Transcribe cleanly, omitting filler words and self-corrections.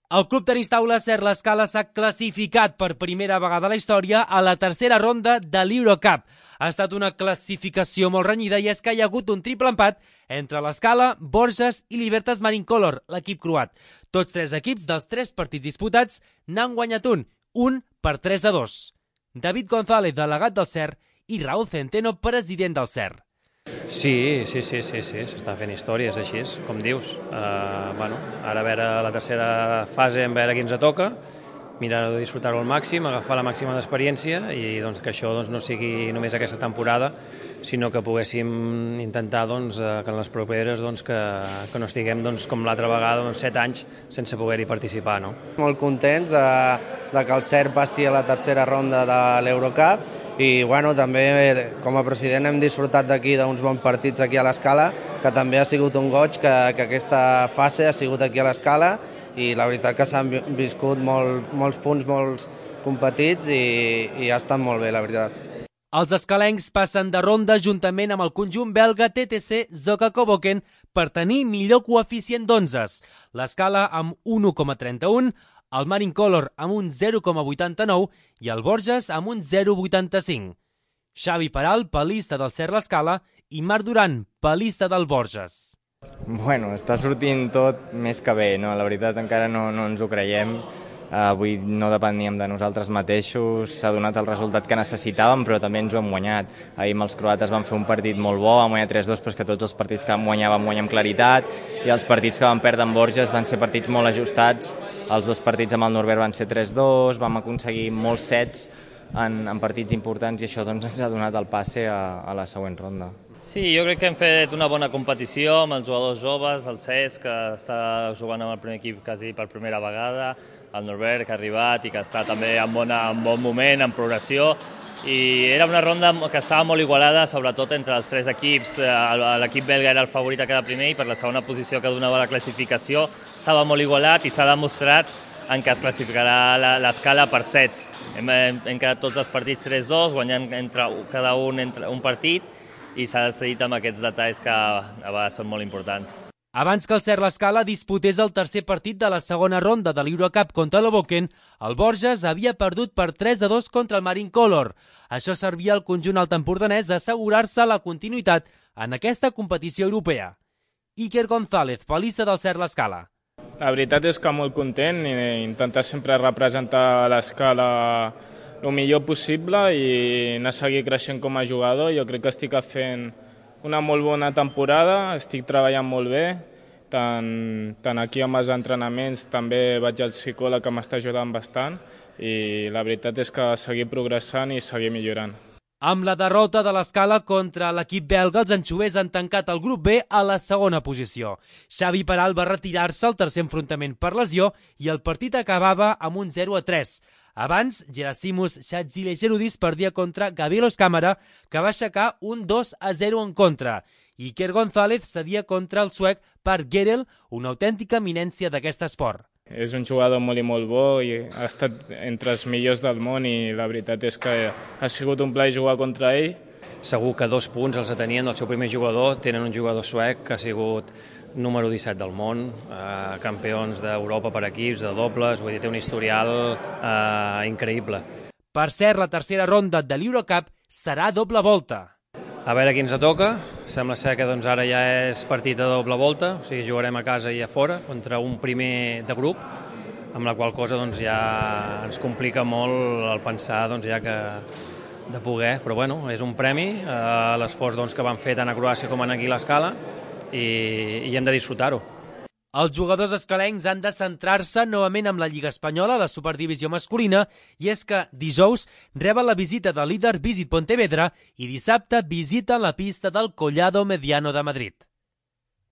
El Club Tenis Taula Ser l'Escala s'ha classificat per primera vegada a la història a la tercera ronda de l'Eurocup. Ha estat una classificació molt renyida i és que hi ha hagut un triple empat entre l'Escala, Borges i Libertas Marincolor, l'equip croat. Tots tres equips dels tres partits disputats n'han guanyat un per 3-2. David González, delegat del Ser, i Raúl Centeno, president del Ser. Sí, s'està fent històries així, com dius. Ara a veure la tercera fase, a veure qui ens toca, mirar de disfrutar-ho al màxim, agafar la màxima d'experiència i que això no sigui només aquesta temporada, sinó que poguéssim intentar que en les properes que no estiguem com l'altra vegada 7 anys sense poder-hi participar. Molt contents de que el Ser passi a la tercera ronda de l'Eurocup i també com a president hem disfrutat d'aquí d'uns bons partits aquí a l'Escala, que també ha sigut un goig que aquesta fase ha sigut aquí a l'Escala i la veritat que s'han viscut molts punts, molts competits i ha estat molt bé, la veritat. Els escalencs passen de ronda juntament amb el conjunt belga TTC Zoka Koboken per tenir millor coeficient d'11. L'Escala amb 1,31, el Marincolor amb un 0,89 i el Borges amb un 0,85. Xavi Peral, palista del Ser l'Escala, i Marc Duran, palista del Borges. Està sortint tot més que bé, no? La veritat encara no ens ho creiem. Avui no depeníem de nosaltres mateixos, s'ha donat el resultat que necessitàvem, però també ens ho hem guanyat. Ahir amb els croates vam fer un partit molt bo, vam guanyar 3-2, però és que tots els partits que vam guanyar amb claritat, i els partits que vam perdre amb Borges van ser partits molt ajustats. Els dos partits amb el Norbert van ser 3-2, vam aconseguir molts sets en partits importants i això ens ha donat el passe a la següent ronda. Sí, jo crec que hem fet una bona competició amb els jugadors joves, el Cesc, que està jugant amb el primer equip quasi per primera vegada, el Norbert, que ha arribat i que està també en bon moment, en progressió, i era una ronda que estava molt igualada, sobretot entre els tres equips. L'equip belga era el favorit a quedar primer i per la segona posició que donava la classificació estava molt igualat i s'ha demostrat en què es classificarà l'Escala per sets. Hem quedat tots els partits 3-2, guanyant cada un partit, i s'ha decidit amb aquests detalls que a vegades són molt importants. Abans que el Ser l'Escala disputés el tercer partit de la segona ronda de l'Eurocup contra l'Hoboken, el Borges havia perdut per 3-2 contra el Marincolor. Això servia al conjunt altempordanès a assegurar-se la continuïtat en aquesta competició europea. Iker González, palista del Ser l'Escala. La veritat és que molt content i intentar sempre representar l'Escala el millor possible i anar a seguir creixent com a jugador. Jo crec que estic fent una molt bona temporada, estic treballant molt bé, tant aquí amb els entrenaments, també vaig al psicòleg que m'està ajudant bastant i la veritat és que seguir progressant i seguir millorant. Amb la derrota de l'Escala contra l'equip belga, els anxovers han tancat el grup B a la segona posició. Xavi Peral va retirar-se al tercer enfrontament per lesió i el partit acabava amb un 0-3. Abans, Gerasimus Xatzilegerudis perdia contra Gabelos Cámara, que va aixecar un 2-0 en contra. Iker González cedia contra el suec Per Gerel, una autèntica eminència d'aquest esport. És un jugador molt i molt bo i ha estat entre els millors del món i la veritat és que ha sigut un plaer jugar contra ell. Segur que 2 punts els tenien del seu primer jugador. Tenen un jugador suec que ha sigut número 17 del món, campions d'Europa per equips, de dobles, vull dir, té un historial increïble. Per cert, la tercera ronda de l'Eurocup serà doble volta. A veure qui ens toca. Sembla ser que ara ja és partit de doble volta, o sigui, jugarem a casa i a fora contra un primer de grup, amb la qual cosa ja ens complica molt el pensar ja que de poder, però bueno, és un premi a l'esforç que van fer tant a Croàcia com aquí a l'Escala i hem de disfrutar-ho. Els jugadors escalencs han de centrar-se novament amb la Lliga Espanyola, la Superdivisió masculina, i és que dijous reben la visita del líder Visit Pontevedra i dissabte visiten la pista del Collado Mediano de Madrid.